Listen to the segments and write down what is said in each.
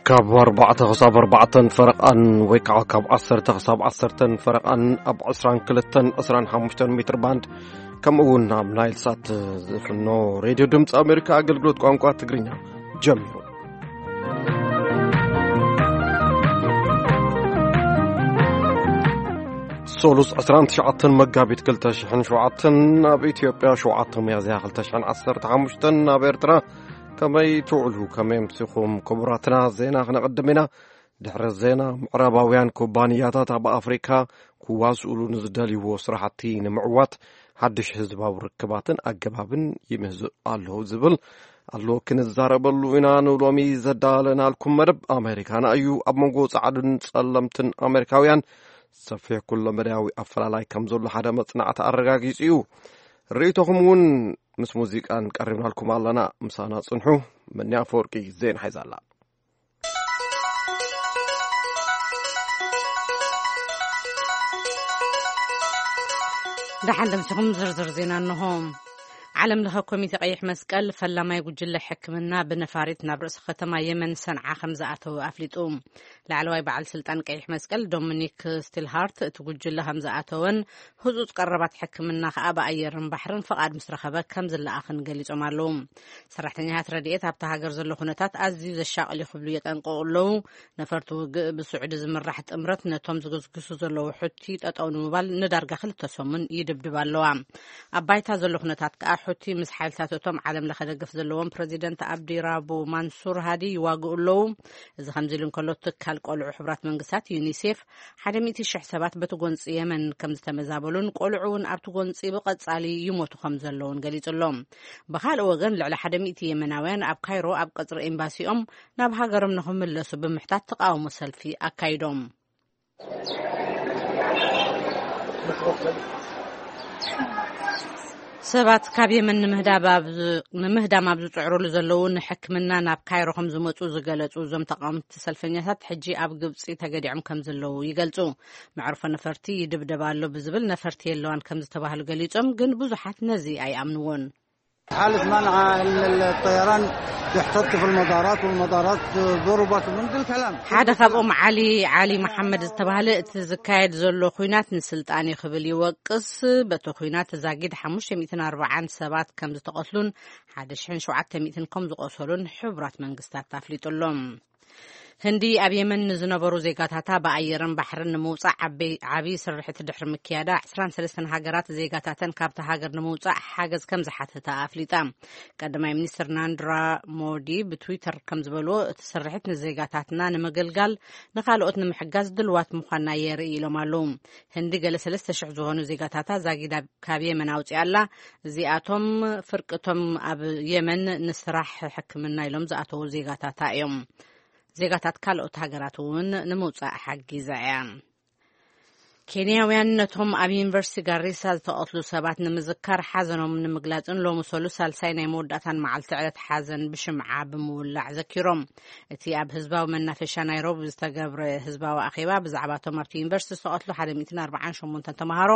ካብ ኣርባዕተ ክሳብ ኣርባዕተን ፈረቓን ወይ ከዓ ካብ ዓሰርተ ክሳብ ዓሰርተን ፈረቓን ኣብ ዕስራን ክልተን ዕስራን ሓሙሽተን ሜትር ባንድ፣ ከምኡ እውን ኣብ ናይል ሳት ዝፍኖ ሬድዮ ድምፂ ኣሜሪካ ኣገልግሎት ቋንቋ ትግርኛ ጀሚሩ። ሶሉስ ዕስራን ትሽዓተን መጋቢት ክልተ ሽሕን ሸውዓተን፣ ኣብ ኢትዮጵያ ሸውዓተ ሚያዝያ ክልተ ሽሕን ዓሰርተ ሓሙሽተን፣ ኣብ ኤርትራ ከመይ ትውዕሉ፣ ከመይ ኣምሲኹም? ክቡራትና፣ ዜና ክነቐድም ኢና። ድሕሪ ዜና፣ ምዕራባውያን ኩባንያታት ኣብ ኣፍሪካ ክዋስኡሉ ንዝደልይዎ ስራሕቲ ንምዕዋት ሓድሽ ህዝባዊ ርክባትን ኣገባብን ይምህዙ ኣለዉ ዝብል ኣሎ፣ ክንዛረበሉ ኢና። ንሎሚ ዘዳለናልኩም መደብ ኣሜሪካና እዩ። ኣብ መንጎ ጻዕዱን ጸለምትን ኣሜሪካውያን ሰፊሕ ኩለ መዳያዊ ኣፈላላይ ከም ዘሎ ሓደ መጽናዕቲ ኣረጋጊጹ እዩ። ርእይቶኹም እውን ምስ ሙዚቃን ቀሪብናልኩም ኣለና። ምሳና ጽንሑ። መኒ ኣፈወርቂ ዜና ሒዛ ኣላ። ደሓን ደምሲኹም ዝርዝር ዜና እንሆ። ዓለም ለኸ ኮሚቴ ቀይሕ መስቀል ፈላማይ ጉጅለ ሕክምና ብነፋሪት ናብ ርእሲ ከተማ የመን ሰንዓ ከም ዝኣተወ ኣፍሊጡ። ላዕለዋይ በዓል ስልጣን ቀይሕ መስቀል ዶሚኒክ ስቲልሃርት እቲ ጉጅለ ከም ዝኣተወን ህጹጽ ቀረባት ሕክምና ከኣ ብኣየርን ባሕርን ፍቓድ ምስ ረኸበ ከም ዝለኣኽን ገሊጾም ኣለዉ። ሰራሕተኛታት ረድኤት ኣብታ ሃገር ዘሎ ኩነታት ኣዝዩ ዘሻቕል እዩ ክብሉ የጠንቅቑ ኣለዉ። ነፈርቲ ውግእ ብስዑዲ ዝምራሕ ጥምረት ነቶም ዝግስግሱ ዘለዉ ሑቲ ጠጠው ንምባል ንዳርጋ ክልተ ሰሙን ይድብድብ ኣለዋ። ኣብ ባይታ ዘሎ ኩነታት ከኣ ሑቲ ምስ ሓይልታት እቶም ዓለም ለኸ ደገፍ ዘለዎም ፕረዚደንት ኣብዲ ራቡ ማንሱር ሃዲ ይዋግኡ ኣለዉ። እዚ ከምዚ ኢሉ እንከሎ ትካል ቆልዑ ሕቡራት መንግስታት ዩኒሴፍ ሓደ ሚእቲ ሽሕ ሰባት በቲ ጎንፂ የመን ከም ዝተመዛበሉን ቆልዑ እውን ኣብቲ ጎንፂ ብቐጻሊ ይሞቱ ከም ዘለውን ገሊጹ ኣሎ። ብኻልእ ወገን ልዕሊ ሓደ ሚእቲ የመናውያን ኣብ ካይሮ ኣብ ቀጽሪ ኤምባሲኦም ናብ ሃገሮም ንኽምለሱ ብምሕታት ተቃውሞ ሰልፊ ኣካይዶም። ሰባት ካብ የመን ንምህዳብ ኣብ ዝ-፣ ንምህዳም ኣብ ዝጽዕሩሉ ዘለዉ ንሕክምና ናብ ካይሮ ከም ዝመጹ ዝገለጹ እዞም ተቃወምቲ ሰልፈኛታት ሕጂ ኣብ ግብጺ ተገዲዖም ከም ዘለዉ ይገልጹ። መዕርፎ ነፈርቲ ይድብደባ ኣሎ ብዝብል ነፈርቲ የለዋን ከም ዝተባህሉ ገሊጾም፣ ግን ብዙሓት ነዚ ኣይኣምንዎን። حالة منع إن الطيران يحتط في المطارات والمطارات ضربت ومن ذا الكلام. ሓደ ካብኦም ዓሊ፣ ዓሊ መሓመድ ዝተባህለ፣ እቲ ዝካየድ ዘሎ ኹናት ንስልጣን እዩ ክብል ይወቅስ። በቲ ኹናት ዛጊድ ሓሙሽተ ሚእትን ኣርባዓን ሰባት ከም ዝተቐትሉን ሓደ ሽሕን ሸውዓተ ሚእትን ከም ዝቆሰሉን ሕቡራት መንግስታት ኣፍሊጡ ኣሎ። ህንዲ ኣብ የመን ንዝነበሩ ዜጋታታ ብኣየርን ባሕርን ንምውጻእ ዓበይ-፣ ዓብዪ ስርሒት ድሕሪ ምክያዳ፣ ዕስራን ሰለስተን ሃገራት ዜጋታተን ካብታ ሃገር ንምውጻእ ሓገዝ ከም ዝሓተታ ኣፍሊጣ። ቀዳማይ ሚኒስትር ናንድራ ሞዲ ብትዊተር ከም ዝበልዎ፣ እቲ ስርሒት ንዜጋታትና ንምግልጋል፣ ንኻልኦት ንምሕጋዝ ድልዋት ምዃንና የርኢ ኢሎም ኣለዉ። ህንዲ ገለ ሰለስተ ሽሕ ዝኾኑ ዜጋታታ ዛጊዳ ካብ የመን ኣውጺኣ ኣላ። እዚኣቶም ፍርቅቶም ኣብ የመን ንስራሕ ሕክምና ኢሎም ዝኣተዉ ዜጋታታ እዮም። ዜጋታት ካልኦት ሃገራት እውን ንምውጻእ ሓጊዛ እያ። ኬንያውያን ነቶም ኣብ ዩኒቨርሲቲ ጋሪሳ ዝተቐትሉ ሰባት ንምዝካር ሓዘኖም ንምግላጽን ሎሚ ሰሉስ ሳልሳይ ናይ መወዳእታን መዓልቲ ዕለት ሓዘን ብሽምዓ ብምውላዕ ዘኪሮም። እቲ ኣብ ህዝባዊ መናፈሻ ናይሮቢ ዝተገብረ ህዝባዊ ኣኼባ ብዛዕባ እቶም ኣብቲ ዩኒቨርሲቲ ዝተቐትሉ ሓደ ሚእትን ኣርባዓን ሸሞንተን ተምሃሮ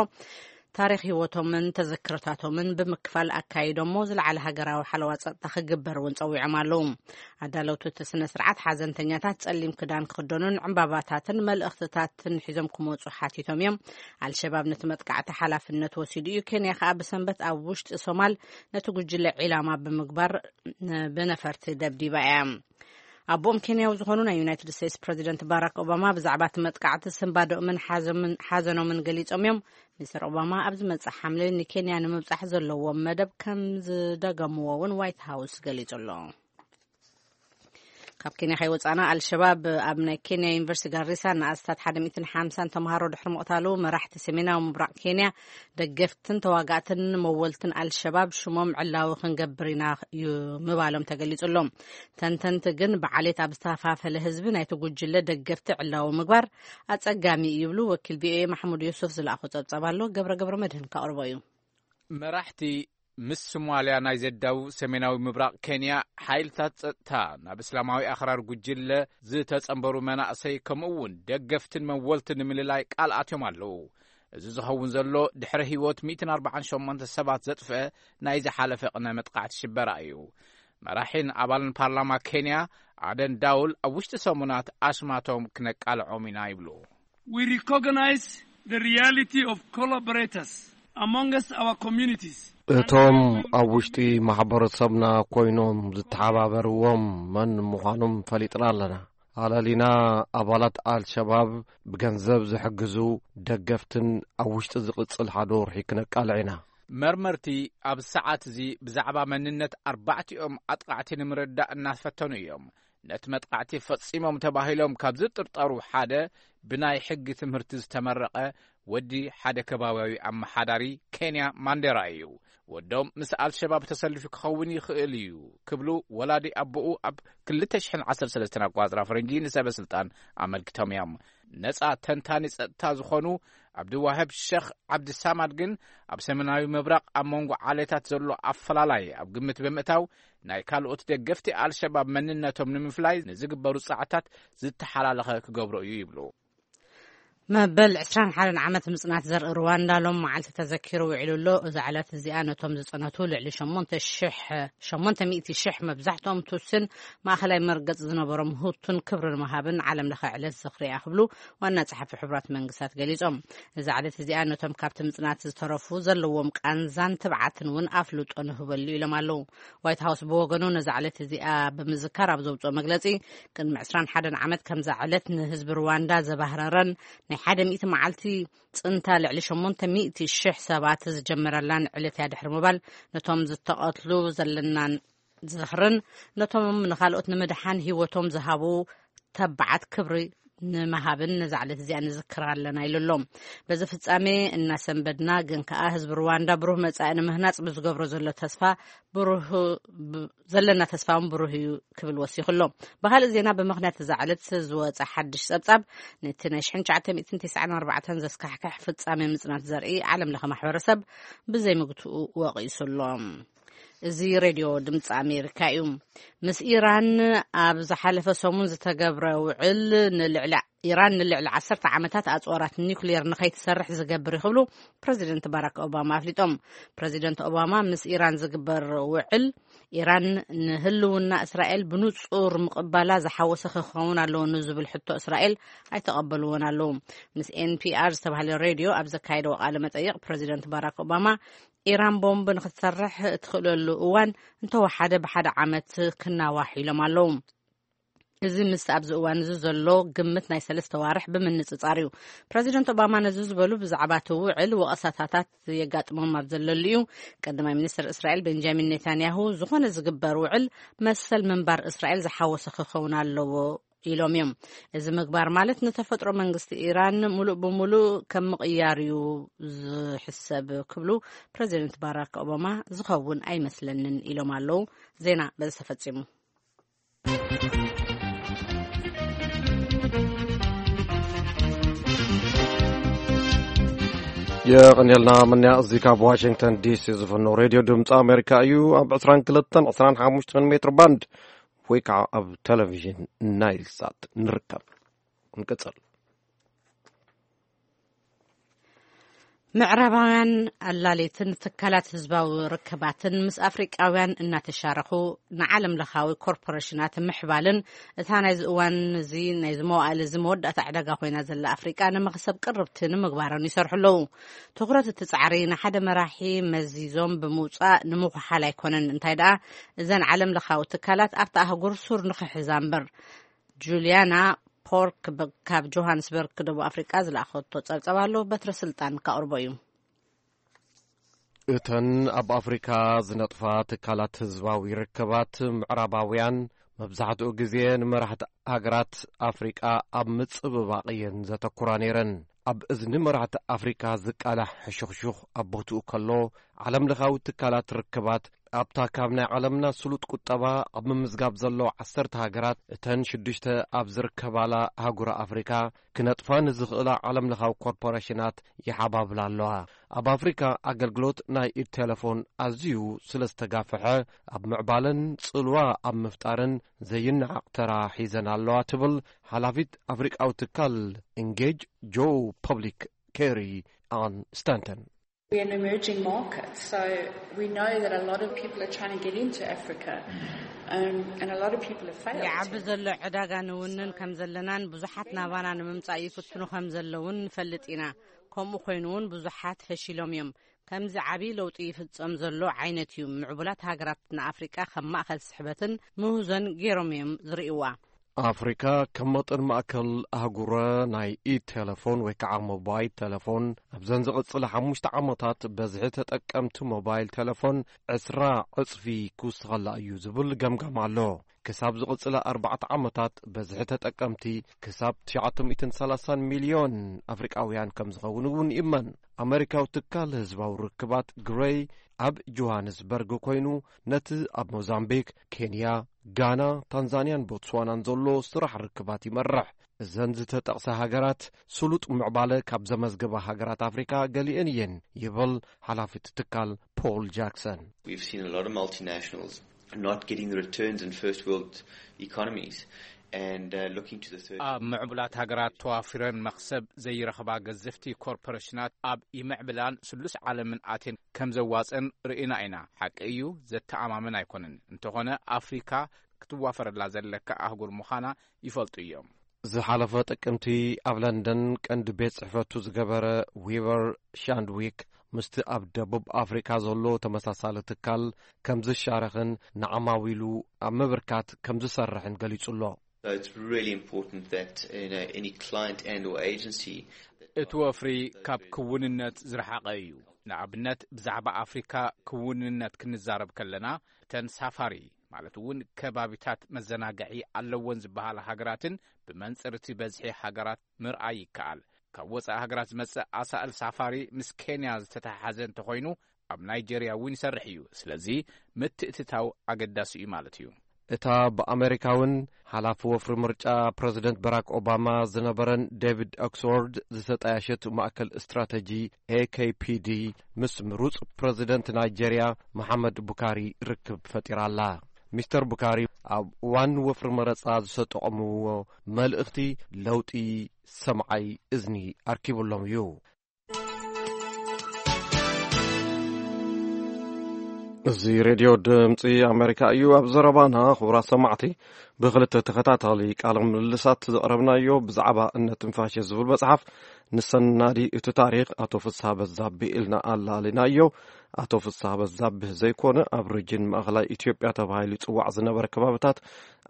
ታሪኽ ህይወቶምን ተዘክሮታቶምን ብምክፋል ኣካይዶሞ ዝለዓለ ሃገራዊ ሓለዋ ጸጥታ ክግበር እውን ጸዊዖም ኣለዉ። ኣዳለውቲ እቲ ስነ ስርዓት ሓዘንተኛታት ጸሊም ክዳን ክኽደኑን ዕምባባታትን መልእኽትታትን ሒዞም ክመጹ ሓቲቶም እዮም። ኣልሸባብ ነቲ መጥቃዕቲ ሓላፍነት ወሲዱ እዩ። ኬንያ ከኣ ብሰንበት ኣብ ውሽጢ ሶማል ነቲ ጉጅለ ዒላማ ብምግባር ን-፣ ብነፈርቲ ደብዲባ እያ። ኣቦኦም ኬንያዊ ዝኾኑ ናይ ዩናይትድ ስቴትስ ፕረዚደንት ባራክ ኦባማ ብዛዕባ እቲ መጥቃዕቲ ስንባደኦምን ሓዘምን-፣ ሓዘኖምን ገሊጾም እዮም። ሚስተር ኦባማ ኣብ ዝመጽእ ሓምለ ንኬንያ ንምብጻሕ ዘለዎም መደብ ከም ዝደገምዎ እውን ዋይት ሃውስ ገሊጹ ኣሎ። ካብ ኬንያ ከይወጻና፣ ኣልሸባብ ኣብ ናይ ኬንያ ዩኒቨርሲቲ ጋሪሳ ንኣስታት ሓደ ሚእትን ሓምሳን ተምሃሮ ድሕሪ ምቕታሉ፣ መራሕቲ ሰሜናዊ ምብራቕ ኬንያ ደገፍትን ተዋጋእትን መወልትን ኣልሸባብ ሽሞም ዕላዊ ክንገብር ኢና እዩ ምባሎም ተገሊጹ ኣሎ። ተንተንቲ ግን ብዓሌት ኣብ ዝተኸፋፈለ ህዝቢ ናይቲ ጉጅለ ደገፍቲ ዕላዊ ምግባር ኣጸጋሚ እዩ ይብሉ። ወኪል ቪኦኤ ማሕሙድ ዮሱፍ ዝለኣኾ ጸብጻብ ኣሎ፣ ገብረ ገብረ መድህን ከቕርቦ እዩ። መራሕቲ ምስ ሶማልያ ናይ ዘዳውብ ሰሜናዊ ምብራቕ ኬንያ፣ ሓይልታት ጸጥታ ናብ እስላማዊ ኣኽራር ጉጅለ ዝተጸንበሩ መናእሰይ፣ ከምኡ እውን ደገፍትን መወልትን ንምልላይ ቃል ኣትዮም ኣለዉ። እዚ ዝኸውን ዘሎ ድሕሪ ህይወት ሚእትን ኣርባዓን ሸሞንተ ሰባት ዘጥፍአ ናይ ዝሓለፈ ቅነ መጥቃዕቲ ሽበራ እዩ። መራሒን ኣባልን ፓርላማ ኬንያ ኣደን ዳውል፣ ኣብ ውሽጢ ሰሙናት ኣስማቶም ክነቃልዖም ኢና ይብሉ። We recognize the reality of collaborators amongst our communities. እቶም ኣብ ውሽጢ ማሕበረሰብና ኮይኖም ዝተሓባበርዎም መን ምዃኖም ፈሊጥና ኣለና። ኣለሊና ኣባላት ኣልሸባብ ብገንዘብ ዝሕግዙ ደገፍትን ኣብ ውሽጢ ዝቕጽል ሓደ ወርሒ ክነቃልዕ ኢና። መርመርቲ ኣብ ሰዓት እዚ ብዛዕባ መንነት ኣርባዕቲኦም ኣጥቃዕቲ ንምርዳእ እናፈተኑ እዮም። ነቲ መጥቃዕቲ ፈጺሞም ተባሂሎም ካብ ዝጥርጠሩ ሓደ ብናይ ሕጊ ትምህርቲ ዝተመረቐ ወዲ ሓደ ከባቢያዊ ኣመሓዳሪ ኬንያ ማንዴራ እዩ። ወዶም ምስ ኣልሸባብ ተሰሊፉ ክኸውን ይኽእል እዩ ክብሉ ወላዲ ኣቦኡ ኣብ ክልተ ሽሕን ዓሰርተ ሰለስተን ኣቋጽራ ፈረንጂ ንሰበ ስልጣን ኣመልኪቶም እዮም። ነጻ ተንታኒ ጸጥታ ዝኾኑ ኣብድዋህብ ሸኽ ዓብድሳማድ ግን፣ ኣብ ሰሜናዊ ምብራቕ ኣብ መንጎ ዓሌታት ዘሎ ኣፈላላይ ኣብ ግምት ብምእታው፣ ናይ ካልኦት ደገፍቲ ኣልሸባብ መንነቶም ንምፍላይ ንዝግበሩ ጻዕታት ዝተሓላለኸ ክገብሮ እዩ ይብሉ። መበል ዕስራን ሓደን ዓመት ምጽናት ዘርኢ ሩዋንዳ ሎም መዓልቲ ተዘኪሩ ውዒሉ ኣሎ። እዛ ዕለት እዚኣ ነቶም ዝጸነቱ ልዕሊ ሸሞንተ ሽሕ፣ ሸሞንተ ሚእቲ ሽሕ፣ መብዛሕትኦም ቱትስን ማእኸላይ መርገጽ ዝነበሮም ሁቱን ክብሪ ንምሃብን ዓለም ለኸ ዕለት ዝኽሪ እያ ክብሉ ዋና ጸሓፊ ሕቡራት መንግስታት ገሊጾም። እዛ ዕለት እዚኣ ነቶም ካብቲ ምጽናት ዝተረፉ ዘለዎም ቃንዛን ትብዓትን እውን ኣፍልጦ ንህበሉ ኢሎም ኣለዉ። ዋይት ሃውስ ብወገኑ ነዛ ዕለት እዚኣ ብምዝካር ኣብ ዘውፅኦ መግለፂ፣ ቅድሚ ዕስራን ሓደን ዓመት ከምዛ ዕለት ንህዝቢ ሩዋንዳ ዘባህረረን ናይ ሓደ ሚእቲ መዓልቲ ጽንታ ልዕሊ ሸሞንተ ሚእቲ ሽሕ ሰባት ዝጀመረላን ዕለት እያ ድሕሪ ምባል፣ ነቶም ዝተቐትሉ ዘለናን ዝኽርን ነቶም ንኻልኦት ንምድሓን ህይወቶም ዝሃቡ ተባዓት ክብሪ ንምሃብን ነዛ ዕለት እዚኣ ንዝክር ኣለና ኢሉ ኣሎ። በዚ ፍጻሜ እናሰንበድና ግን ከኣ ህዝቢ ሩዋንዳ ብሩህ መጻኢ ንምህናጽ ብዝገብሮ ዘሎ ተስፋ ብሩህ፣ ብ-፣ ዘለና ተስፋ እውን ብሩህ እዩ ክብል ወሲኹ ኣሎ። ብኻልእ ዜና፣ ብምኽንያት እዛ ዕለት ዝወጸ ሓድሽ ጸብጻብ፣ ነቲ ናይ ሽሕን ትሽዓተ ሚእትን ተስዓን ኣርባዕተን ዘስካሕክሕ ፍጻሜ ምጽናት ዘርኢ ዓለም ለኸ ማሕበረሰብ ብዘይምግትኡ ወቒሱ ኣሎ። እዚ ሬድዮ ድምፂ ኣሜሪካ እዩ። ምስ ኢራን ኣብ ዝሓለፈ ሰሙን ዝተገብረ ውዕል፣ ንልዕሊ ኢራን ንልዕሊ ዓሰርተ ዓመታት ኣፅዋራት ኒውክሌር ንኸይትሰርሕ ዝገብር እዩ ክብሉ ፕረዚደንት ባራክ ኦባማ ኣፍሊጦም። ፕረዚደንት ኦባማ ምስ ኢራን ዝግበር ውዕል፣ ኢራን ንህልውና እስራኤል ብንጹር ምቕባላ ዝሓወሰ ክኸውን ኣለዎ ንዝብል ሕቶ እስራኤል ኣይተቐበልዎን ኣለዉ። ምስ ኤን ፒ ኣር ዝተባህለ ሬድዮ ኣብ ዘካየደዎ ቃለ መጠይቕ፣ ፕረዚደንት ባራክ ኦባማ፣ ኢራን ቦምብ ንክትሰርሕ እትኽእለሉ እዋን እንተወሓደ ብሓደ ዓመት ክናዋሕ ኢሎም ኣለዉ። እዚ ምስ ኣብዚ እዋን እዚ ዘሎ ግምት ናይ ሰለስተ ዋርሕ ብምንጽጻር እዩ። ፕረዚደንት ኦባማ ነዚ ዝበሉ፣ ብዛዕባ እቲ ውዕል ወቐሳታታት የጋጥሞም ኣብ ዘለሉ እዩ። ቀዳማይ ሚኒስትር እስራኤል ቤንጃሚን ኔታንያሁ፣ ዝኾነ ዝግበር ውዕል መሰል ምንባር እስራኤል ዝሓወሰ ክኸውን ኣለዎ ኢሎም እዮም። እዚ ምግባር ማለት ንተፈጥሮ መንግስቲ ኢራን ሙሉእ ብሙሉእ ከም ምቕያር እዩ ዝሕሰብ ክብሉ ፕረዚደንት ባራክ ኦባማ ዝኸውን ኣይመስለንን ኢሎም ኣለዉ። ዜና በዚ ተፈጺሙ። የቐንየልና ምንያ። እዚ ካብ ዋሽንግተን ዲሲ ዝፍኖ ሬድዮ ድምፂ ኣሜሪካ እዩ። ኣብ ዕስራን ክልተን ዕስራን ሓሙሽተን ሜትር ባንድ ወይ ከዓ ኣብ ቴሌቪዥን ናይል ሳት ንርከብ። ንቅፅል። ምዕራባውያን ኣላሌትን ትካላት ህዝባዊ ርክባትን ምስ ኣፍሪቃውያን እናተሻረኹ ንዓለም ለኻዊ ኮርፖሬሽናት ምሕባልን፣ እታ ናይዚ እዋን እዚ፣ ናይዚ መዋእል እዚ መወዳእታ ዕዳጋ ኮይና ዘላ ኣፍሪቃ፣ ንመኽሰብ ቅርብቲ ንምግባርን ይሰርሑ ኣለዉ። ትኹረት እቲ ጻዕሪ ንሓደ መራሒ መዚዞም ብምውጻእ ንምኹሓል ኣይኮነን፣ እንታይ ደኣ፣ እዘን ዓለም ለኻዊ ትካላት ኣብታ ኣህጉር ሱር ንኽሕዛ እምበር። ጁልያና ፖርክ ብ-፣ ካብ ጆሃንስበርግ ደቡብ ኣፍሪቃ ዝለኣኸቶ ጸብጸብ ኣሎ። በትረ ስልጣን ካቕርቦ እዩ። እተን ኣብ ኣፍሪካ ዝነጥፋ ትካላት ህዝባዊ ርክባት፣ ምዕራባውያን መብዛሕትኡ ግዜ ንመራሕቲ ሃገራት ኣፍሪቃ ኣብ ምጽብባቕ እየን ዘተኩራ ነይረን። ኣብ እዝኒ መራሕቲ ኣፍሪካ ዝቃላሕ ሕሹኽሹኽ ኣብ ቦትኡ ከሎ፣ ዓለም ለኻዊ ትካላት ርክባት ኣብታ ካብ ናይ ዓለምና ስሉጥ ቁጠባ ኣብ ምምዝጋብ ዘሎ ዓሰርተ ሃገራት፣ እተን ሽዱሽተ ኣብ ዝርከባላ ኣህጉረ ኣፍሪካ ክነጥፋ ንዝኽእላ ዓለምለኻዊ ኮርፖሬሽናት ይሓባብላ ኣለዋ። ኣብ ኣፍሪካ ኣገልግሎት ናይ ኢድ ቴሌፎን ኣዝዩ ስለ ዝተጋፍሐ፣ ኣብ ምዕባለን ጽልዋ ኣብ ምፍጣርን ዘይነዓቕ ተራ ሒዘን ኣለዋ ትብል ሓላፊት ኣፍሪቃዊ ትካል ኢንጌጅ ጆ ፐብሊክ ኬሪ ኣን ስታንተን። We're an emerging market, so we know that a lot of people are trying to get into Africa, um, and a lot of people have failed. ይዓቢ ዘሎ ዕዳጋ ንውንን ከም ዘለናን ብዙሓት ናባና ንምምጻእ ይፍትኑ ከም ዘለውን ንፈልጥ ኢና። ከምኡ ኮይኑ እውን ብዙሓት ፈሺሎም እዮም። ከምዚ ዓቢ ለውጢ ይፍጸም ዘሎ ዓይነት እዩ። ምዕቡላት ሃገራት ንኣፍሪቃ ከም ማእከል ስሕበትን ምህዞን ገይሮም እዮም ዝርእይዋ። ኣፍሪካ ከም መጠን ማእከል ኣህጉረ ናይ ኢድ ቴሌፎን ወይ ከዓ ሞባይል ቴሌፎን ኣብዘን ዝቕጽላ ሓሙሽተ ዓመታት በዝሒ ተጠቀምቲ ሞባይል ቴሌፎን ዕስራ ዕጽፊ ክውስኸላ እዩ ዝብል ገምጋም ኣሎ። ክሳብ ዝቕጽላ ኣርባዕተ ዓመታት በዝሒ ተጠቀምቲ ክሳብ ትሽዓተ ሚእትን ሰላሳን ሚልዮን ኣፍሪቃውያን ከም ዝኸውን እውን ይእመን። ኣመሪካዊ ትካል ህዝባዊ ርክባት ግሬይ ኣብ ጆሃንስበርግ ኮይኑ ነቲ ኣብ ሞዛምቢክ፣ ኬንያ፣ ጋና፣ ታንዛንያን ቦትስዋናን ዘሎ ስራሕ ርክባት ይመርሕ። እዘን ዝተጠቕሰ ሃገራት ስሉጥ ምዕባለ ካብ ዘመዝገባ ሃገራት ኣፍሪካ ገሊአን እየን ይብል ሓላፊ እቲ ትካል ፖል ጃክሰን። We've seen a lot of multinationals not getting the returns in first world economies and uh, looking to the third. ኣብ ምዕቡላት ሃገራት ተዋፊረን መኽሰብ ዘይረኽባ ገዘፍቲ ኮርፖሬሽናት ኣብ ይምዕብላን ስሉስ ዓለምን ኣትየን ከም ዘዋፅን ርኢና ኢና። ሓቂ እዩ፣ ዘተኣማምን ኣይኮነን። እንተኾነ ኣፍሪካ ክትዋፈረላ ዘለካ ኣህጉር ምዃና ይፈልጡ እዮም። ዝሓለፈ ጥቅምቲ ኣብ ለንደን ቀንዲ ቤት ጽሕፈቱ ዝገበረ ዊቨር ሻንድዊክ ምስቲ ኣብ ደቡብ ኣፍሪካ ዘሎ ተመሳሳሊ ትካል ከም ዝሻረኽን ንዓማዊሉ ኣብ ምብርካት ከም ዝሰርሕን ገሊጹ ኣሎ። So it's really important that you know, any client and or agency እቲ ወፍሪ ካብ ክውንነት ዝረሓቐ እዩ። ንኣብነት ብዛዕባ ኣፍሪካ ክውንነት ክንዛረብ ከለና እተን ሳፋሪ ማለት እውን ከባቢታት መዘናግዒ ኣለወን ዝበሃላ ሃገራትን ብመንፅር እቲ በዝሒ ሃገራት ምርኣይ ይከኣል። ካብ ወፃኢ ሃገራት ዝመፅእ ኣሳእል ሳፋሪ ምስ ኬንያ ዝተተሓሓዘ እንተኾይኑ ኣብ ናይጀርያ እውን ይሰርሕ እዩ። ስለዚ ምትእትታው ኣገዳሲ እዩ ማለት እዩ። እታ ብኣመሪካውን ሓላፊ ወፍሪ ምርጫ ፕረዚደንት ባራክ ኦባማ ዝነበረን ዴቪድ ኦክስፎርድ ዝተጣየሸት ማእከል ስትራተጂ ኤ ኬ ፒ ዲ ምስ ምሩጽ ፕረዚደንት ናይጀርያ መሓመድ ቡካሪ ርክብ ፈጢራ ኣላ። ሚስተር ቡካሪ ኣብ እዋን ወፍሪ መረጻ ዝተጠቐምዎ መልእኽቲ ለውጢ ሰምዓይ እዝኒ ኣርኪቡሎም እዩ። እዚ ሬድዮ ድምፂ ኣሜሪካ እዩ። ኣብ ዘረባና ክቡራት ሰማዕቲ ብክልተ ተኸታታሊ ቃለ ምልልሳት ዘቕረብናዮ ብዛዕባ እነ ትንፋሽ ዝብል መፅሓፍ ንሰናዲ እቲ ታሪክ ኣቶ ፍስሃ በዛብህ ኢልና ኣላሊናዮ። ኣቶ ፍስሃ በዛብህ ዘይኮነ ኣብ ሪጅን ማእኸላይ ኢትዮጵያ ተባሂሉ ይፅዋዕ ዝነበረ ከባብታት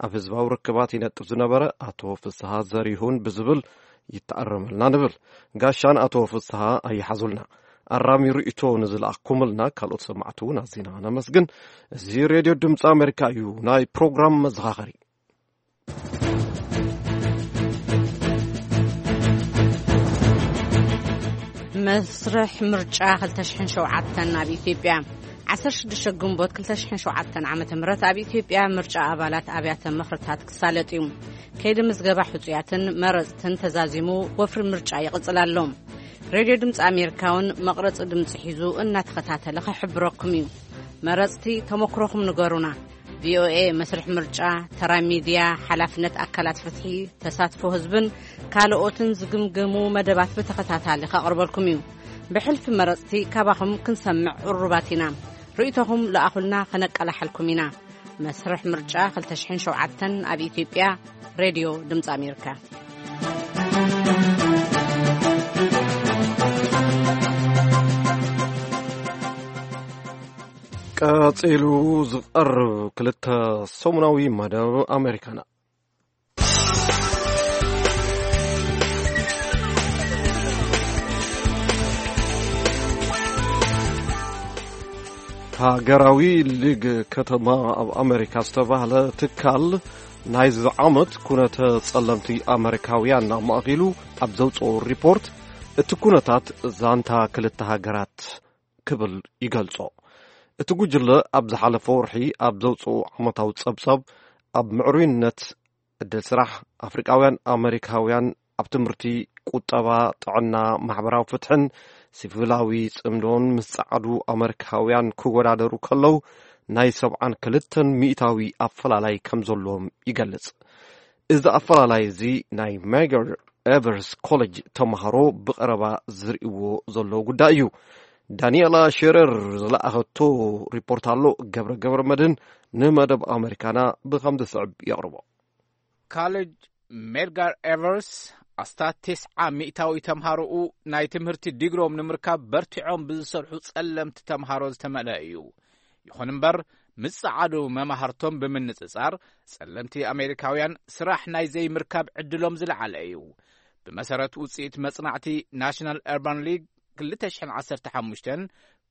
ኣብ ህዝባዊ ርክባት ይነጥፍ ዝነበረ ኣቶ ፍስሃ ዘሪሁን ብዝብል ይተኣረመልና ንብል። ጋሻን ኣቶ ፍስሃ ኣይሓዙልና። ኣራሚ ርእይቶ ንዝለኣኩምልና ካልኦት ሰማዕቲ እውን ኣዚና ነመስግን። እዚ ሬድዮ ድምፂ ኣሜሪካ እዩ። ናይ ፕሮግራም መዘኻኸሪ። መስርሕ ምርጫ ክልተ ሽሕን ሸውዓተን ኣብ ኢትዮጵያ። ዓሰርተ ሽዱሽተ ግንቦት ክልተ ሽሕን ሸውዓተን ዓመተ ምህረት ኣብ ኢትዮጵያ ምርጫ ኣባላት ኣብያተ ምኽርታት ክሳለጥ እዩ። ከይዲ ምዝገባ ሕጹያትን መረጽትን ተዛዚሙ ወፍሪ ምርጫ ይቕጽል ኣሎ። ሬድዮ ድምፂ ኣሜሪካ እውን መቕረፂ ድምፂ ሒዙ እናተኸታተለ ክሕብረኩም እዩ። መረፅቲ ተመክሮኹም ንገሩና። ቪኦኤ መስርሕ ምርጫ፣ ተራ ሚድያ፣ ሓላፍነት ኣካላት ፍትሒ፣ ተሳትፎ ህዝብን ካልኦትን ዝግምገሙ መደባት ብተኸታታሊ ከቕርበልኩም እዩ። ብሕልፊ መረፅቲ ካባኹም ክንሰምዕ ቅሩባት ኢና። ርእይቶኹም ለኣኹልና፣ ከነቀላሕልኩም ኢና። መስርሕ ምርጫ ክልተ ሽሕን ሸውዓተን ኣብ ኢትዮጵያ፣ ሬድዮ ድምፂ ኣሜሪካ። ቀጺሉ ዝቐርብ ክልተ ሰሙናዊ መደብ ኣሜሪካና። ሃገራዊ ሊግ ከተማ ኣብ ኣሜሪካ ዝተባህለ ትካል ናይዚ ዓመት ኩነተ ጸለምቲ ኣመሪካውያን ኣማእኪሉ ኣብ ዘውጽኦ ሪፖርት፣ እቲ ኩነታት ዛንታ ክልተ ሃገራት ክብል ይገልጾ። እቲ ጉጅለ ኣብ ዝሓለፈ ወርሒ ኣብ ዘውፅኡ ዓመታዊ ጸብጻብ፣ ኣብ ምዕሩይነት፣ ዕድል ስራሕ፣ ኣፍሪቃውያን ኣመሪካውያን ኣብ ትምህርቲ፣ ቁጠባ፣ ጥዕና፣ ማሕበራዊ ፍትሕን ሲቪላዊ ጽምዶን ምስ ጸዓዱ ኣመሪካውያን ክወዳደሩ ከለዉ፣ ናይ ሰብዓን ክልተን ሚእታዊ ኣፈላላይ ከም ዘለዎም ይገልጽ። እዚ ኣፈላላይ እዚ ናይ ሜገር ኤቨርስ ኮሌጅ ተምሃሮ ብቐረባ ዝርእይዎ ዘለዉ ጉዳይ እዩ። ዳንኤላ ሸረር ዝለኣኸቶ ሪፖርት ኣሎ። ገብረ ገብረ መድህን ንመደብ ኣመሪካና ብኸም ዝስዕብ የቕርቦ። ካሌጅ ሜድጋር ኤቨርስ ኣስታት ተስዓ ሚእታዊ ተምሃሮኡ ናይ ትምህርቲ ዲግሮም ንምርካብ በርቲዖም ብዝሰርሑ ጸለምቲ ተምሃሮ ዝተመልአ እዩ። ይኹን እምበር፣ ምስ ጸዓዱ መማህርቶም ብምንጽጻር፣ ጸለምቲ ኣሜሪካውያን ስራሕ ናይ ዘይምርካብ ዕድሎም ዝለዓለ እዩ። ብመሰረት ውጽኢት መጽናዕቲ ናሽናል ኤርባን ሊግ ክልተ ሽሕን ዓሰርተ ሓሙሽተን፣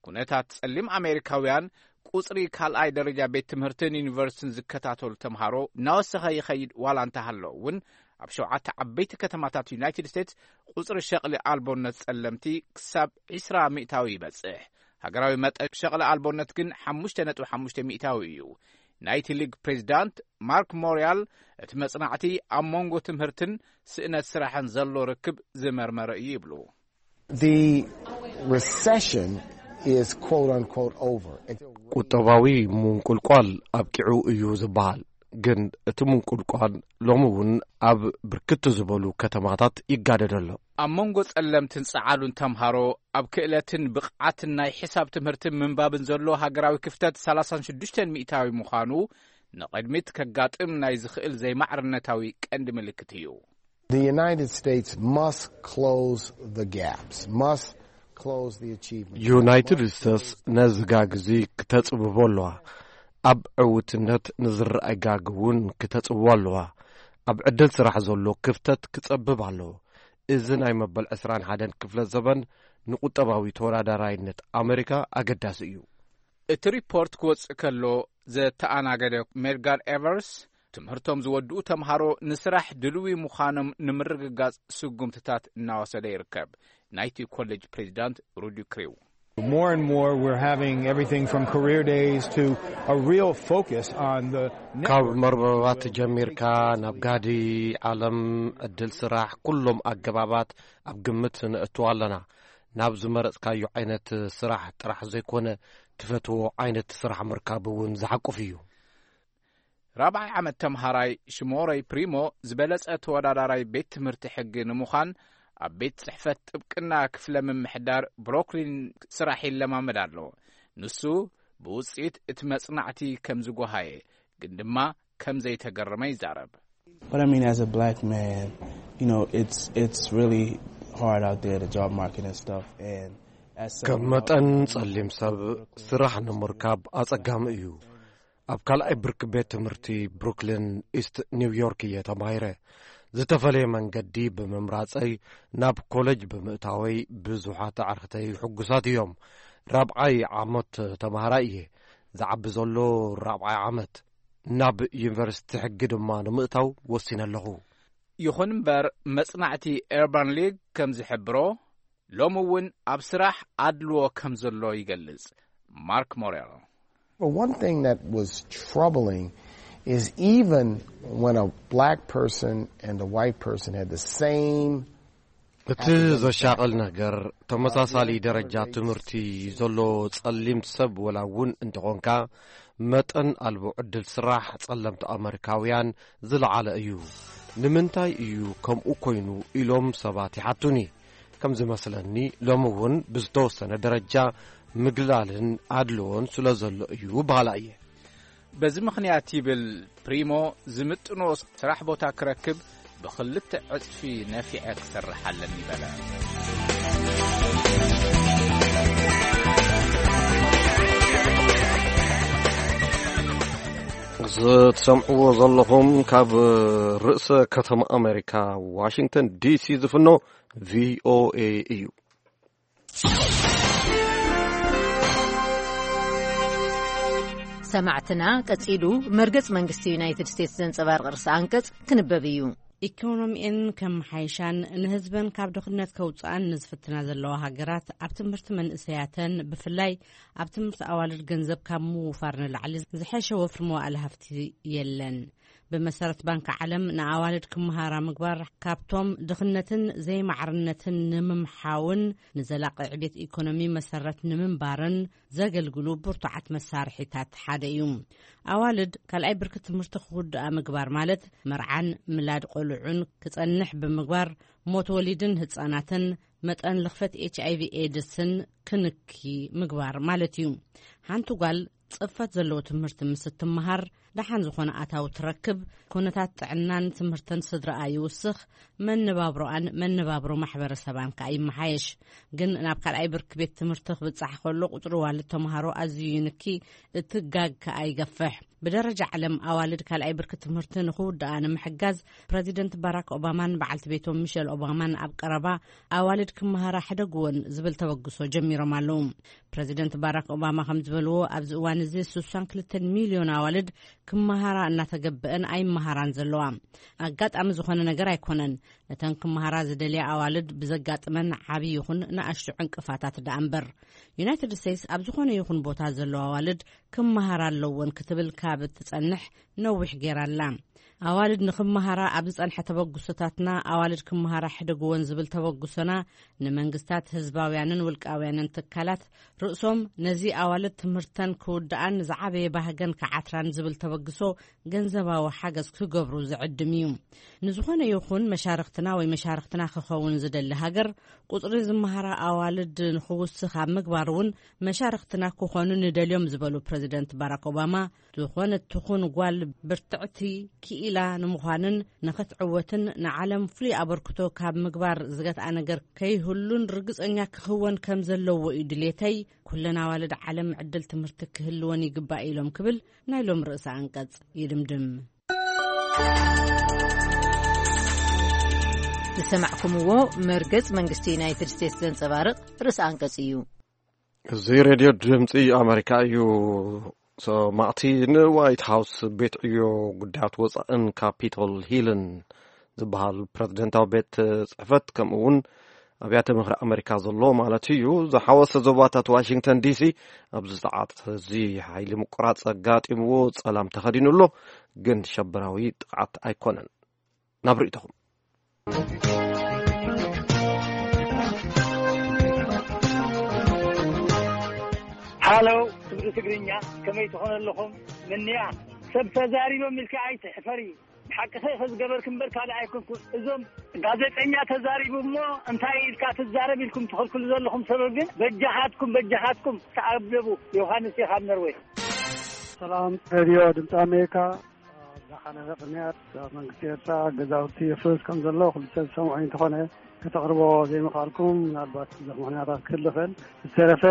ኩነታት ጸሊም ኣሜሪካውያን ቁጽሪ ካልኣይ ደረጃ ቤት ትምህርትን ዩኒቨርሲቲን ዝከታተሉ ተምሃሮ እናወሰኸ ይኸይድ ዋላ እንተሃሎ እውን፣ ኣብ ሸውዓተ ዓበይቲ ከተማታት ዩናይትድ ስቴትስ ቁጽሪ ሸቕሊ ኣልቦነት ጸለምቲ ክሳብ ዕስራ ሚእታዊ ይበጽሕ። ሃገራዊ መጠን ሸቕሊ ኣልቦነት ግን ሓሙሽተ ነጥቢ ሓሙሽተ ሚእታዊ እዩ። ናይቲ ሊግ ፕሬዚዳንት ማርክ ሞሪያል፣ እቲ መጽናዕቲ ኣብ መንጎ ትምህርትን ስእነት ስራሕን ዘሎ ርክብ ዝመርመረ እዩ ይብሉ። The recession is quote unquote over. ቁጠባዊ ምንቁልቋል ኣብቂዑ እዩ ዝበሃል፣ ግን እቲ ምንቁልቋል ሎሚ እውን ኣብ ብርክት ዝበሉ ከተማታት ይጋደድ ኣሎ። ኣብ መንጎ ጸለምትን ጸዓዱን ተምሃሮ፣ ኣብ ክእለትን ብቕዓትን ናይ ሕሳብ ትምህርትን ምንባብን ዘሎ ሃገራዊ ክፍተት ሰላሳን ሽዱሽተን ሚእታዊ ምዃኑ፣ ንቕድሚት ከጋጥም ናይ ዝኽእል ዘይማዕርነታዊ ቀንዲ ምልክት እዩ። The United States must close the gaps, must close the achievement gap. ዩናይትድ ስቴትስ ነዚ ጋግ እዚ ክተጽብቦ ኣለዋ። ኣብ ዕውትነት ንዝረኣይ ጋግ እውን ክተጽብቦ ኣለዋ። ኣብ ዕድል ስራሕ ዘሎ ክፍተት ክጸብብ ኣለዎ። እዚ ናይ መበል ዕስራን ሓደን ክፍለ ዘበን ንቁጠባዊ ተወዳዳራይነት ኣመሪካ ኣገዳሲ እዩ። እቲ ሪፖርት ክወጽእ ከሎ፣ ዘተኣናገደ ሜድጋር ኤቨርስ፣ ትምህርቶም ዝወድኡ ተምሃሮ ንስራሕ ድልዊ ምዃኖም ንምርግጋጽ ስጉምትታት እናወሰደ ይርከብ። ናይቲ ኮሌጅ ፕሬዚዳንት ሩዲ ክሪው። More and more, we're having everything from career days to a real focus on the ካብ network. መርበባት ጀሚርካ ናብ ጋዲ ዓለም፣ ዕድል ስራሕ፣ ኩሎም ኣገባባት ኣብ ግምት ነእትዎ ኣለና። ናብ ዝመረጽካዮ ዓይነት ስራሕ ጥራሕ ዘይኮነ፣ ትፈትዎ ዓይነት ስራሕ ምርካብ እውን ዝሓቁፍ እዩ። ራብዓይ ዓመት ተምሃራይ ሽሞረይ ፕሪሞ ዝበለጸ ተወዳዳራይ ቤት ትምህርቲ ሕጊ ንምዃን ኣብ ቤት ጽሕፈት ጥብቅና ክፍለ ምምሕዳር ብሮክሊን ስራሕ ይለማመድ ኣሎ። ንሱ ብውጽኢት እቲ መጽናዕቲ ከም ዝጎሃየ፣ ግን ድማ ከም ዘይተገረመ ይዛረብ። But I mean, as a black man, you know, it's, it's really hard out there, the job market and stuff. And as ከም someone መጠን out ጸሊም ሰብ ስራሕ ንምርካብ ኣጸጋሚ እዩ። ኣብ ካልኣይ ብርኪ ቤት ትምህርቲ ብሩክሊን ኢስት ኒውዮርክ እየ ተማሂረ። ዝተፈለየ መንገዲ ብምምራጸይ፣ ናብ ኮለጅ ብምእታወይ ብዙሓት ኣዕርኽተይ ሕጉሳት እዮም። ራብዓይ ዓመት ተማሃራይ እየ። ዝዓቢ ዘሎ ራብዓይ ዓመት። ናብ ዩኒቨርሲቲ ሕጊ ድማ ንምእታው ወሲነ ኣለኹ። ይኹን እምበር፣ መጽናዕቲ ኤርባን ሊግ ከም ዝሕብሮ፣ ሎሚ እውን ኣብ ስራሕ ኣድልዎ ከም ዘሎ ይገልጽ ማርክ ሞሬል። But one thing that was troubling is even when a black person and a white person had the same እቲ ዘሻቕል ነገር፣ ተመሳሳሊ ደረጃ ትምህርቲ ዘሎ ጸሊም ሰብ ወላ እውን እንተኾንካ፣ መጠን ኣልቦ ዕድል ስራሕ ጸለምቲ ኣመሪካውያን ዝለዓለ እዩ። ንምንታይ እዩ ከምኡ ኮይኑ ኢሎም ሰባት ይሓቱኒ። ከም ዝመስለኒ፣ ሎሚ እውን ብዝተወሰነ ደረጃ ምግላልን ኣድልዎን ስለ ዘሎ እዩ በሃላ እየ። በዚ ምኽንያት፣ ይብል ፕሪሞ፣ ዝምጥኖ ስራሕ ቦታ ክረክብ ብኽልተ ዕጽፊ ነፊዐ ክሰርሕ ኣለኒ በለ። እዚ ትሰምዕዎ ዘለኹም ካብ ርእሰ ከተማ ኣሜሪካ ዋሽንግተን ዲሲ ዝፍኖ ቪኦኤ እዩ። ሰማዕትና፣ ቀጺሉ መርገጽ መንግስቲ ዩናይትድ ስቴትስ ዘንጸባርቕ ርእሰ ኣንቀጽ ክንበብ እዩ። ኢኮኖሚኤን ከመሓይሻን ንህዝበን ካብ ድኽነት ከውፅኣን ንዝፍትና ዘለዋ ሃገራት፣ ኣብ ትምህርቲ መንእሰያተን፣ ብፍላይ ኣብ ትምህርቲ ኣዋልድ፣ ገንዘብ ካብ ምውፋር ንላዕሊ ዝሐሸ ወፍሪ መዋእለ ሃፍቲ የለን። ብመሰረት ባንክ ዓለም፣ ንኣዋልድ ክመሃራ ምግባር ካብቶም ድኽነትን ዘይማዕርነትን ንምምሓውን ንዘላቂ ዕቤት ኢኮኖሚ መሰረት ንምንባርን ዘገልግሉ ብርቱዓት መሳርሒታት ሓደ እዩ። ኣዋልድ ካልኣይ ብርኪ ትምህርቲ ክውድኣ ምግባር ማለት፣ መርዓን ምላድ ቆልዑን ክጸንሕ ብምግባር፣ ሞት ወሊድን ህጻናትን፣ መጠን ልኽፈት ኤች ኣይ ቪ ኤድስን ክንኪ ምግባር ማለት እዩ። ሓንቲ ጓል ጽፈት ዘለዎ ትምህርቲ ምስ እትመሃር፣ ደሓን ዝኾነ ኣታዊ ትረክብ፣ ኩነታት ጥዕናን ትምህርትን ስድራኣ ይውስኽ፣ መነባብሮኣን መነባብሮ ማሕበረሰባን ከኣ ይመሓየሽ። ግን ናብ ካልኣይ ብርኪ ቤት ትምህርቲ ክብጻሕ ከሎ፣ ቁጽሪ ዋልድ ተምሃሮ ኣዝዩ ይንኪ፣ እቲ ጋግ ከኣ ይገፍሕ። ብደረጃ ዓለም፣ ኣዋልድ ካልኣይ ብርኪ ትምህርቲ ንኽውድኣ ንምሕጋዝ፣ ፕረዚደንት ባራክ ኦባማን በዓልቲ ቤቶም ሚሸል ኦባማን ኣብ ቀረባ፣ ኣዋልድ ክመሃራ ሕደግወን ዝብል ተበግሶ ጀሚሮም ኣለዉ። ፕረዚደንት ባራክ ኦባማ ከም ዝበልዎ፣ ኣብዚ እዋን እዚ ስሳን ክልተን ሚልዮን ኣዋልድ ክመሃራ እናተገብአን ኣይመሃራን ዘለዋ። ኣጋጣሚ ዝኾነ ነገር ኣይኮነን። ነተን ክመሃራ ዝደልያ ኣዋልድ ብዘጋጥመን ዓቢ ይኹን ንኣሽቱ ዕንቅፋታት ደኣ እምበር። ዩናይትድ ስቴትስ ኣብ ዝኾነ ይኹን ቦታ ዘለዋ ኣዋልድ ክመሃራ ኣለወን ክትብል ካብ እትጸንሕ ነዊሕ ገይራ ኣላ። ኣዋልድ ንኽመሃራ ኣብ ዝጸንሐ ተበግሶታትና፣ ኣዋልድ ክመሃራ ሕደግወን ዝብል ተበግሶና፣ ንመንግስታት፣ ህዝባውያንን ውልቃውያንን ትካላት፣ ርእሶም ነዚ ኣዋልድ ትምህርተን ክውድኣን ዝዓበየ ባህገን ክዓትራን ዝብል ተበግሶ፣ ገንዘባዊ ሓገዝ ክገብሩ ዝዕድም እዩ። ንዝኾነ ይኹን መሻርኽትና ወይ መሻርኽትና ክኸውን ዝደሊ ሃገር፣ ቁጽሪ ዝመሃራ ኣዋልድ ንኽውስኽ ኣብ ምግባር እውን መሻርኽትና ክኾኑ ንደልዮም ዝበሉ ፕረዚደንት ባራክ ኦባማ፣ ዝኾነት ትኹን ጓል ብርትዕቲ ክኢላ ንምዃንን ንኽትዕወትን ንዓለም ፍሉይ ኣበርክቶ ካብ ምግባር ዝገትኣ ነገር ከይህሉን ርግጸኛ ክኽወን ከም ዘለዎ እዩ ድሌተይ። ኩለን ኣዋልድ ዓለም ዕድል ትምህርቲ ክህልወን ይግባእ ኢሎም ክብል ናይ ሎም ርእሰ ኣንቀጽ ይድምድም። ዝሰማዕኩምዎ መርገጽ መንግስቲ ዩናይትድ ስቴትስ ዘንጸባርቕ ርእሰ ኣንቀጽ እዩ። እዚ ሬድዮ ድምፂ ኣሜሪካ እዩ። ሰማዕቲ፣ ንዋይት ሃውስ፣ ቤት ዕዮ ጉዳያት ወፃእን ካፒቶል ሂልን ዝበሃል ፕረዚደንታዊ ቤት ፅሕፈት፣ ከምኡ እውን ኣብያተ ምኽሪ ኣሜሪካ ዘሎ ማለት እዩ፣ ዝሓወሰ ዞባታት ዋሽንግተን ዲሲ ኣብዚ ሰዓት እዚ ሓይሊ ምቁራፅ ኣጋጢምዎ ፀላም ተኸዲኑ ኣሎ፣ ግን ሸበራዊ ጥቕዓት ኣይኮነን። ናብ ርእይቶኹም። ሃሎ፣ ትግሪ ትግርኛ፣ ከመይ ትኾኑ ኣለኹም? ምንያ፣ ሰብ ተዛሪቦም ኢልካ ኣይትሕፈሪ። ሓቅኺ ኢኺ ዝገበርኪ እምበር ካልእ ኣይኮንኩን። እዞም ጋዜጠኛ ተዛሪቡ እሞ እንታይ ኢልካ ትዛረብ ኢልኩም ትኽልክሉ ዘለኹም ሰብ ግን በጃኻትኩም፣ በጃኻትኩም ተኣደቡ። ዮሃንስ እየ ካብ ነርወይ። ሰላም ሬድዮ ድምፂ ኣሜሪካ። ኣብ ዝሓለፈ ቅንያት ኣብ መንግስቲ ኤርትራ ገዛውቲ የፍርስ ከም ዘሎ ኩሉ ሰብ ዝሰምዖ እንተኾነ፣ ከተቕርቦ ዘይምኽኣልኩም ምናልባት ብዙሕ ምኽንያታት ክህሉ ይኽእል። ዝተረፈ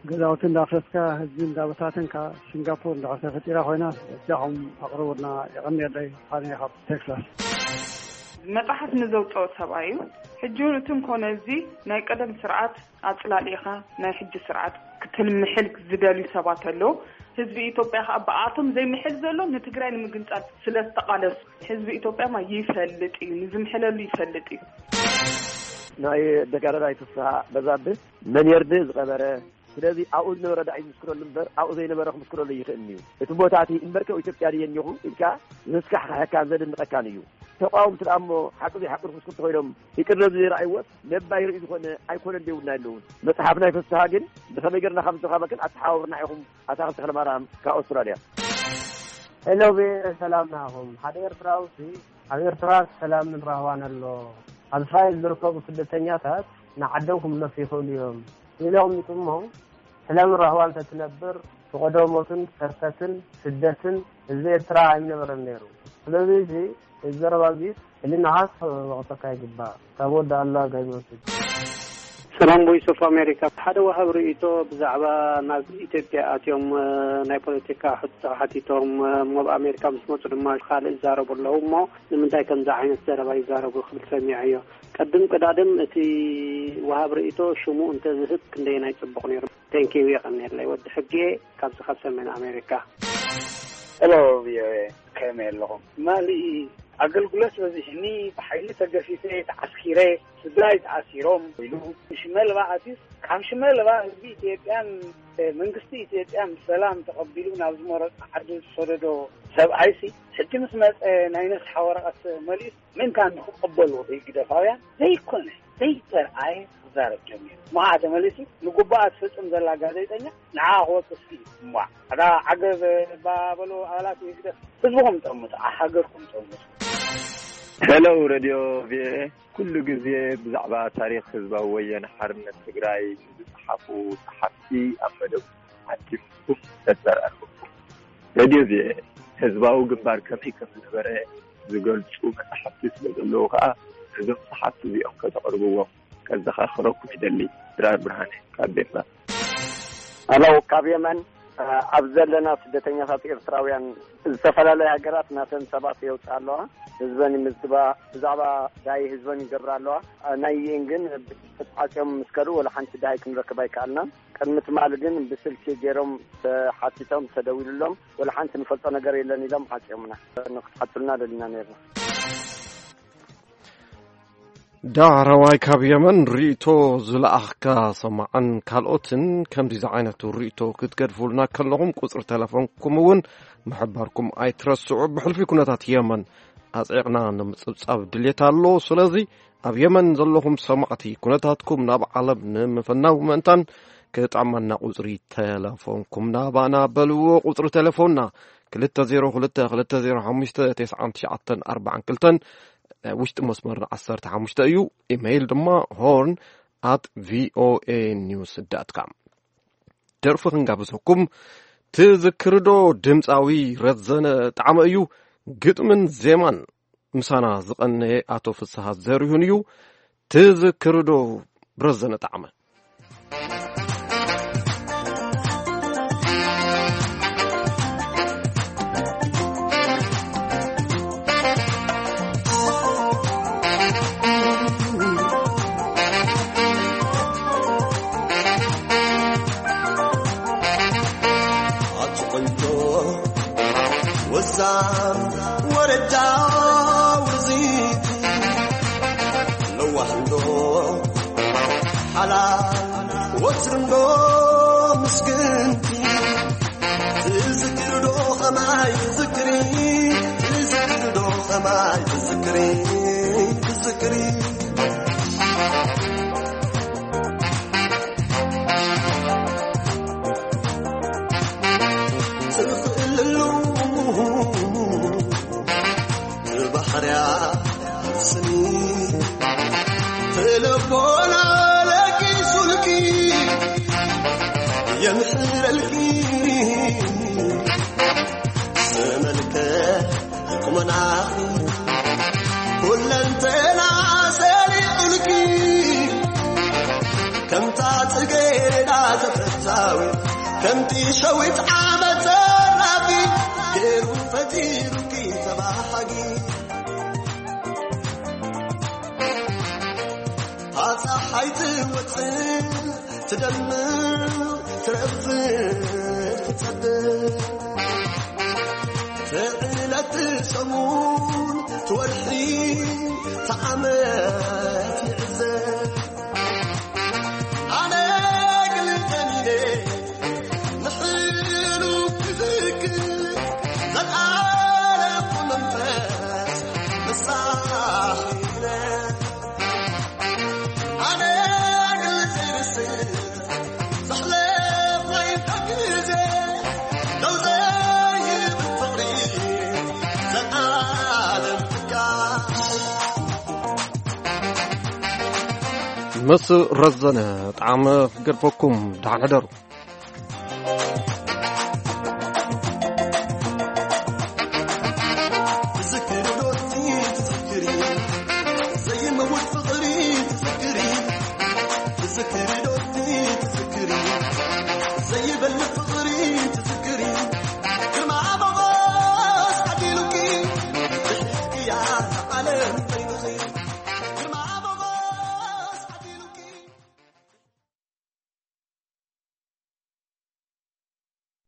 ገዛውቲ እንዳፍረስካ፣ ህዝቢ እንዳበታተንካ፣ ሲንጋፖር እንድሕር ተፈጢራ ኮይና፣ በጃኹም ኣቕርቡልና። የቐንየለይ። ፋኒ ካብ ቴክሳስ። መጽሓፍ ንዘውጽኦ ሰብኣይ እዩ። ሕጂ እውን እቲ እንኮነ እዚ ናይ ቀደም ስርዓት ኣጽላሊኻ ናይ ሕጂ ስርዓት ክትልምሕል ዝደልዩ ሰባት ኣለዉ። ህዝቢ ኢትዮጵያ ከኣ ብኣቶም ዘይምሕል ዘሎ ንትግራይ ንምግንጻል ስለ ዝተቓለሱ፣ ህዝቢ ኢትዮጵያ ማ ይፈልጥ እዩ፣ ንዝምሕለሉ ይፈልጥ እዩ። ናይ ደጋዳላይ ፍስሃ በዛብህ መን የርድእ ዝቐበረ፣ ስለዚ ኣብኡ ዝነበረ ደኣ እዩ ዝምስክረሉ እምበር ኣብኡ ዘይነበረ ክምስክረሉ ይኽእል እዩ። እቲ ቦታ እቲ እምበርከ ኣብ ኢትዮጵያ ድየ እኒኹ ኢልካ ዘስካሕክሐካን ዘድንቐካን እዩ። ተቃወምቲ ደኣ እሞ ሓቂ ዘይሓቂ ክምስክሩ ተኾይኖም ይቅረ ዘይረኣይዎስ ነባይ ርእዩ ዝኾነ ኣይኮነን ደይብልና የለውን። መጽሓፍ ናይ ፍስሃ ግን ብኸመይ ገርና ከም ዝረኸበክን ኣተሓባብርና ኢኹም። ኣታ ተኽለማርያም ካብ ኣውስትራልያ። ሄሎ ቪኦኤ፣ ሰላም ናኹም። ሓደ ኤርትራዊ ሲ ኣብ ኤርትራ ሰላምን ራህዋን ኣሎ። ኣብ እስራኤል ዝርከቡ ስደተኛታት ንዓዶም ክምለሱ ይኽእሉ እዮም ኢሉ ኣቕሚጡ እሞ፣ ሰላምን ራህዋን እንተትነብር፣ ፈቐዶ ሞትን ከርተትን ስደትን ህዝቢ ኤርትራ ኣይምነበረን ነይሩ። ስለዚ እዚ፣ እዚ ዘረባ እዚ ሕልናኻ ክወቕሰካ ይግባእ። ካብ ወዲ ኣላ ጋይመንስድ። ሰላም ቮይስ ኦፍ ኣሜሪካ። ሓደ ወሃብ ርእይቶ ብዛዕባ ናብ ኢትዮጵያ ኣትዮም፣ እ፣ ናይ ፖለቲካ ሕቶ ሓቲቶም፣ እ፣ እሞ ኣብ ኣሜሪካ ምስ መጹ ድማ ካልእ ይዛረቡ ኣለዉ እሞ ንምንታይ ከምዚ ዓይነት ዘረባ ይዛረቡ ክብል ሰሚዐዮ። ቀድም ቀዳድም እቲ ወሃብ ርእይቶ ሽሙ እንተዝህብ ክንደየናይ ጽቡቕ ነይሩ። ቴንኪዩ፣ የቐንየለይ። ወዲ ሕጌ ካብዚ ካብ ሰሜን ኣሜሪካ። ሄሎ ቪኦኤ፣ ከመይ ኣለኹም? ማሊ ኣገልግሎት በዚሕኒ፣ ብሓይሊ ተገፊፈ፣ ተዓስኪረ፣ ስድራይ ተኣሲሮም ኢሉ ሽመልባ ኣትዩስ፣ ካብ ሽመልባ ህዝቢ ኢትዮጵያን መንግስቲ ኢትዮጵያን ብሰላም ተቐቢሉ ናብ ዝመረጾ ዓዲ ዝሰደዶ ሰብኣይሲ፣ ሕጂ ምስ መጸ ናይ ነስሓ ወረቐት መሊኡስ ምእንታን ንኽቐበሉ ህግደፋውያን ዘይኮነ ዘይተርኣየ ክዛረብ ጀሚሩ። እሞ ተመሊሱ ንጉባኣ ትፍጽም ዘላ ጋዜጠኛ ንዓ ክወቅስ እዩ። እሞ ኣዳ ዓገብ ባበሉ ኣባላት ህግደፍ ህዝብኹም ጠምቱ፣ ሃገርኩም ጠምቱ። ሄሎ ሬድዮ ቪኦኤ፣ ኩሉ ግዜ ብዛዕባ ታሪኽ ህዝባዊ ወያነ ሓርነት ትግራይ ንዝጸሓፉ ጸሓፍቲ ኣብ መደብ ሓቲምኩም ነጸር ኣለኩም። ሬድዮ ቪኦኤ ህዝባዊ ግንባር ከመይ ከም ዝነበረ ዝገልጹ መጻሕፍቲ ስለ ዘለዉ ከኣ ነዞም ጸሓፍቲ እዚኦም ከተቕርብዎም ከዘኻኽረኩም ይደሊ። ድራር ብርሃነ ካብ ዴንማርክ። ኣለው ካብ የመን ኣብ ዘለና ስደተኛታት ኤርትራውያን ዝተፈላለያ ሃገራት ናተን ሰባት የውፅኣ ኣለዋ። ህዝበን ይምዝግባ፣ ብዛዕባ ዳይ ህዝበን ይገብራ ኣለዋ። ናይ ዩኤን ግን ብትሽፍት ዓፅዮም ምስ ከዱ ወላ ሓንቲ ዳይ ክንረክብ ኣይከኣልናን። ቅድሚ ትማሊ ግን ብስልኪ ገይሮም ተሓቲቶም ተደዊሉሎም ወላ ሓንቲ ንፈልጦ ነገር የለን ኢሎም ዓፅዮምና። ንክትሓቱልና ደሊና ነርና። ዳሕረዋይ ካብ የመን ርእቶ ዝለኣኽካ ሰማዕን ካልኦትን ከምዚ ዝዓይነቱ ርእቶ ክትገድፉልና ከለኹም ቁፅሪ ተለፎንኩም እውን ምሕባርኩም ኣይትረስዑ። ብሕልፊ ኩነታት የመን ኣፅዒቕና ንምፅብፃብ ድሌት ኣሎ። ስለዚ ኣብ የመን ዘለኹም ሰማዕቲ ኩነታትኩም ናብ ዓለም ንምፍናው ምእንታን ክጥዕመና ቁፅሪ ተለፎንኩም ናባና በልዎ። ቁፅሪ ተለፎንና ክልተ ዜሮ ክልተ ክልተ ዜሮ ሓሙሽተ ተስዓን ትሽዓተን ኣርባዓን ክልተን ናይ ውሽጢ መስመርና ዓሰርተ ሓሙሽተ እዩ። ኢሜይል ድማ ሆርን ኣት ቪኦኤ ኒውስ ዳት ካም። ደርፊ ክንጋብዘኩም ትዝክርዶ? ድምፃዊ ረዘነ ጣዕመ እዩ። ግጥምን ዜማን ምሳና ዝቐነየ ኣቶ ፍስሃ ዘሪሁን እዩ። ትዝክርዶ? ረዘነ ጣዕመ። ኣቲ ቆንጆ ወዛም ወረጃ ውርዚት ለዋህንዶ ሓላል ወትርንዶ ምስግንቲ ትዝክርዶ ኸማይ ትዝክሪ ትዝክርዶ ኸማይ ትዝክሪ ትዝክሪ ትኽእልሉ ብባሕርያ ስኒ ትልቦና ለቂሱልኪ የምሕረልኪ ስመልከ ቁመናኺ ኩለንተና ሰሊዑልኪ ከምታ ጽጌረዳ ተፈታዊ ከምቲ ሸዊት ዓመት ዘራጊ ገይሩ ፈጢሩኪ ተባሃጊ ታፀሓይ ትወፅእ ትደምቕ ትረፍድ ትፀብቕ ትዕለት ትሰሙን ትወርሒ ትዓመት ይዕዘብ ኣነ ግልጠኒነ ንሕሉ ክዝክር ዘልኣለኩ መንፈስ መሳኺነ ኣነ ግልጽ ርስዕ ዘሕለፍናይ ግዜ ደው ዘይብል ፍቕሪ ዘልኣለም ትካል ምስ ረዘነ ጣዕመ ክገድፈኩም ደሓን ሕደሩ።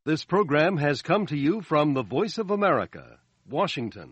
This program has come to you from the Voice of America, Washington.